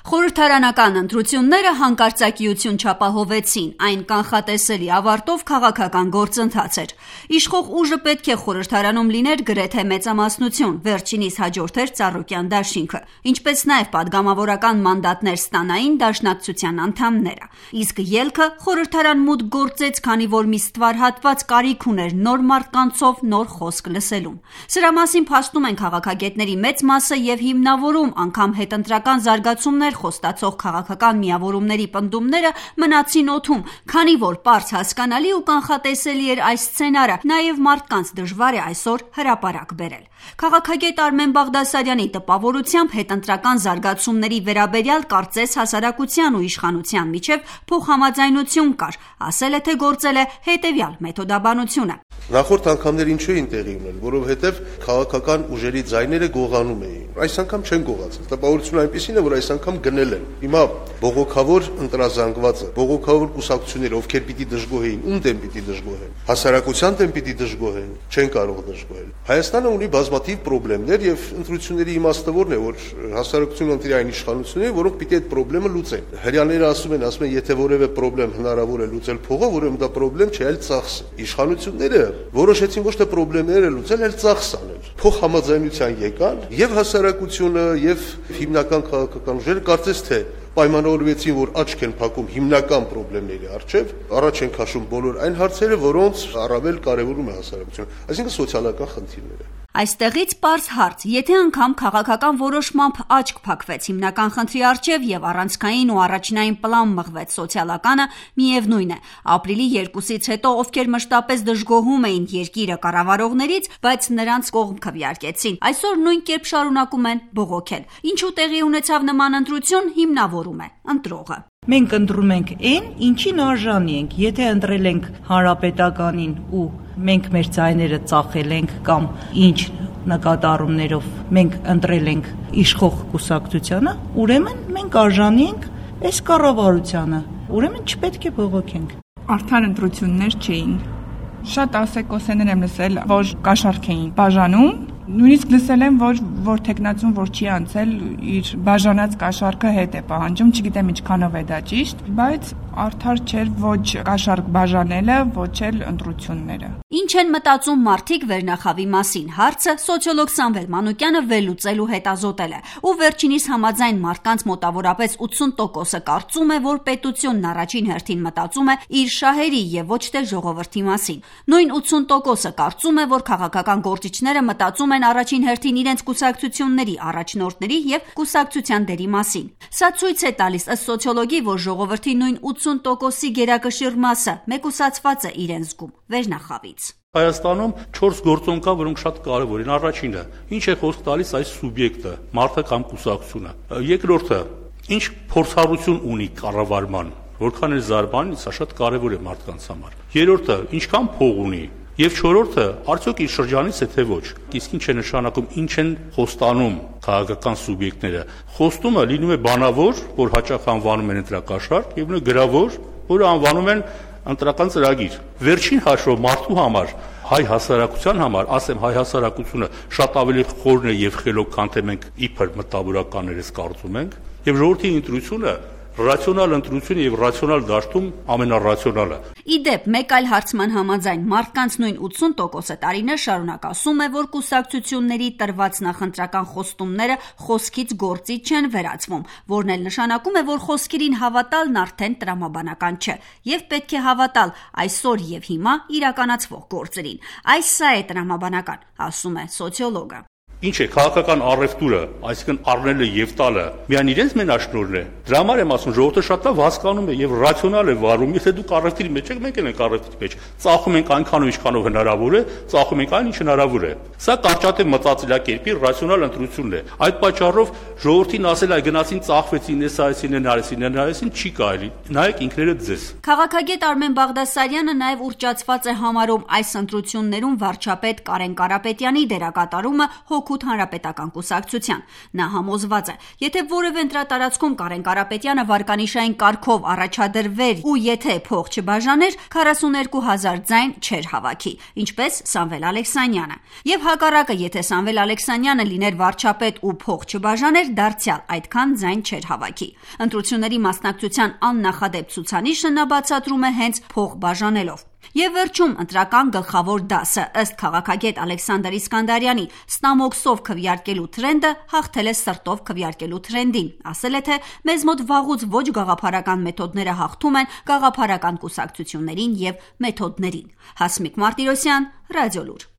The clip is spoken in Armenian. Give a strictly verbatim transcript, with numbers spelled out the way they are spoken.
Խորհրդարանական ընտրությունները հանկարծակիություն չապահովեցին, այն կանխատեսելի ավարտով քաղաքական գործընթաց էր։ Իշխող ուժը պետք է խորհրդարանում լիներ գրեթե մեծամասնություն, վերջինիս հաջորդեր Ծառուկյան դաշինքը, ինչպես նաև պատգամավորական մանդատներ ստանային դաշնակցության անդամները։ Իսկ ելքը խորհրդարան մուտք գործեց, քանի որ մի ստվար հատված կարիք ուներ նոր մարդկանցով նոր խոսք լսելուն։ Սրա մասին փաստում են քաղաքագետների մեծ մասը եւ հիմնավորում անգամ հետընտրական զարգացումներ խոստացող քաղաքական միավորումների պնդումները մնացին օդում, քանի որ պարզ հասկանալի ու կանխատեսելի էր այս սցենարը, նաև մարդկանց դժվար է այսօր հրապարակ բերել։ Քաղաքագետ Արմեն Բաղդասարյանի տպավորությամբ հետընտրական զարգացումների վերաբերյալ կարծես հասարակության ու իշխանության միջև փոխհամաձայնություն կար, ասել է թե գործել է հետևյալ մեթոդաբանությունը։ Նախորդ անգամներ ինչու էին տեղի ունեն, որովհետև քաղաքական ուժերի ձայները գողանում էին։ Այս անգամ չեն գողացել։ Տպավորությունը այնպեսին է, որ այս անգամ գնել են։ Հիմա բողոքավոր ընտրազանգվածը, բողոքավոր կուսակցությունները, ովքեր պիտի դժգոհեին, ում դեմ պիտի դժգոհեն, հասարակության դեմ պիտի դժգոհեն, չեն կարող դժգոհել։ Հայաստանը ունի բազմաթիվ խնդիրներ եւ ընտրությունների իմաստը որն է, որ հասարակությունը ընտրի այն իշխանությունները, որոնք պիտի այդ խնդիրը լուծեն։ Հрьяաները ասում են, ասում են, եթե որևէ խնդրեմ հնարավոր է լուծել փողով, ուրեմն դա խնդրեմ չէ, այլ ծախս։ Իշխանությունները որոշեցին ոչ թե խնդիրները լուծել, այլ ծախս անել։ Փոխհամաձայնության եկան եւ հասարակությունը եւ հիմնական քաղաքական ուժերը կարծես թե պայմանավորվեցին, որ աչք են փակում հիմնական խնդիրների առջև, առաջ են քաշում բոլոր այն հարցերը, որոնց առավել կարևորում է հասարակությունը, այսինքն սոցիալական խնդիրները։ Այստեղից պարզ հարց, եթե անգամ քաղաքական որոշմամբ աչք փակվեց հիմնական խնդրի առջև եւ առանցքային ու առաջնային պլան մղվեց սոցիալականը, միևնույն է, ապրիլի երկուսից հետո ովքեր մշտապես դժգոհում էին երկիրը կառավարողներից, բայց նրանց կողմ քվեարկեցին, այսօր նույն կերպ շարունակում են բողոքել։ Ինչու տեղի ունեցավ նման ընտրություն, հիմնավորում է ընտրողը։ Մենք ընտրում ենք այն, ինչին արժանի ենք, եթե ընտրել ենք հանրապետականին ու մենք մեր ձայները ծախել ենք կամ ինչ նկատառումներով մենք ընտրել ենք իշխող կուսակցությանը, ուրեմն մենք արժանի ենք այս կառավարությանը, ուրեմն չպետք է բողոքենք։ Արդար ընտրություններ չէին։ Շատ ասեկոսեներ եմ լսել, որ կաշառք էին բաժանում, նույնիսկ լսել եմ, որ որ տեխնացուն որ չի անցել իր բաժանած կաշառքը հետ է պահանջում, չգիտեմ ինչքանով է դա ճիշտ, բայց արդար չէր ոչ կաշառք բաժանելը, ոչ էլ ընտրությունները։ Ինչ են մտածում մարդիկ վերնախավի մասին, հարցը սոցիոլոգ Սամվել Մանուկյանը վերլուծել ու հետազոտել է, ու վերջինիս համաձայն մարդկանց մոտավորապես ութսուն տոկոսը կարծում է, որ պետությունն առաջին հերթին մտածում է իր շահերի եւ ոչ թե ժողովրդի մասին։ Նույն ութսուն տոկոսը կարծում է, որ քաղաքական գործիչները մտածում են առաջին հերթին իրենց կուսակցությունների առաջնորդների եւ կուսակցության դերի մասին։ Սա ցույց է տալիս ըստ սոցիոլոգի, որ ժողովրդի նույն ութսուն տոկոսի գերակշիռ մասը մեկուսացված է իրեն զգում վերնախավից։ Հայաստանում չորս գործոն կա, որոնք շատ կարևոր են։ Առաջինը, ինչ է խոսք տալիս այս սուբյեկտը, մարդը կամ կուսակցությունը։ Երկրորդը, ինչ փորձառություն ունի կառավարման, որքան էլ զարգանει, սա շատ կարևոր է մարդկանց համար։ Երրորդը, ինչքան փող ունի։ Եվ չորրորդը, արդյոք իր շրջանից է թե ոչ։ Իսկ ինչ է նշանակում, ինչ են խոստանում քաղաքական սուբյեկտները։ Խոստումը լինում է բանավոր, որ հաճախ անվանում են ընտրակաշառք, եւ նույն գրավոր, որը անվանում են ընտրական ծրագիր։ Վերջին հաշվով մարդու համար, հայ հասարակության համար, ասեմ, հայ հասարակությունը շատ ավելի խորն է եւ խելոք, քան թե մենք իբր մտավորականներս կարծում ենք, եւ ժողովրդի ընտրությունը ռացիոնալ ընտրություն եւ ռացիոնալ դաշտում ամենառացիոնալը։ Իդեպ, մեկ այլ հարցման համաձայն մարդկանց նույն ութսուն տոկոսը տարիներ շարունակ ասում է, որ կուսակցությունների տրված նախընտրական խոստումները խոսքից գործի չեն վերածվում, որն էլ նշանակում է, որ խոսքերին հավատալն արդեն տրամաբանական չէ, եւ պետք է հավատալ այսօր եւ հիմա իրականացվող գործերին։ Այս սա է տրամաբանական, ասում է սոցիոլոգը։ Ինչ է քաղաքական առևտուրը, այսինքն առնելը եւ տալը, միայն իրենց մենաշնորհն է։ Դրա համար եմ ասում, ժողովուրդը շատ լավ հասկանում է եւ ռացիոնալ է վարում, եթե դուք առևտրի մեջ եք, մենք էլ ենք առևտրի մեջ։ Ծախում ենք այնքանով, ինչքանով հնարավոր է, ծախում ենք այն, ինչ հնարավոր է։ Սա կարճատև մտածելակերպի ռացիոնալ ընտրությունն է։ Այդ պատճառով ժողովրդին ասել այ գնացին ծախվեցին, էս այսին են արեցին, են արեցին, չի կարելի։ Նայեք ինքներդ ձեզ։ Քաղաքագետ Արմեն Բաղդասարյանը նաեւ ուռճացված է համարում այս ընտրություններում վարչապետ Կարեն Կարապետյանի դերակատարումը հոգու Օգուտ հանրապետական կուսակցության։ Նա համոզված է, եթե որևէ ընտրատարածքում Կարեն Կարապետյանը վարկանիշային կարգով առաջադրվեր ու եթե փող չբաժաներ, քառասուներկու հազար ձայն չէր հավաքի, ինչպես Սամվել Ալեքսանյանը։ Եվ հակառակը, եթե Սամվել Ալեքսանյանը լիներ վարչապետ ու փող չբաժաներ, դարձյալ այդքան ձայն չէր հավաքի։ Ընտրությունների մասնակցության աննախադեպ ցուցանիշը նա բացատրում է հենց փող բաժանելով։ Եվ վերջում ընտրական գլխավոր դասը ըստ քաղաքագետ Ալեքսանդր Իսկանդարյանի ստամոքսով քվեարկելու թրենդը հաղթել է սրտով քվեարկելու թրենդին, ասել է, թե մեզ մոտ վաղուց ոչ գաղափարական մեթոդները հաղթում են գաղափարական կուսակցություններին եւ մեթոդներին։ Հասմիկ Մարտիրոսյան, Ռադիոլուր։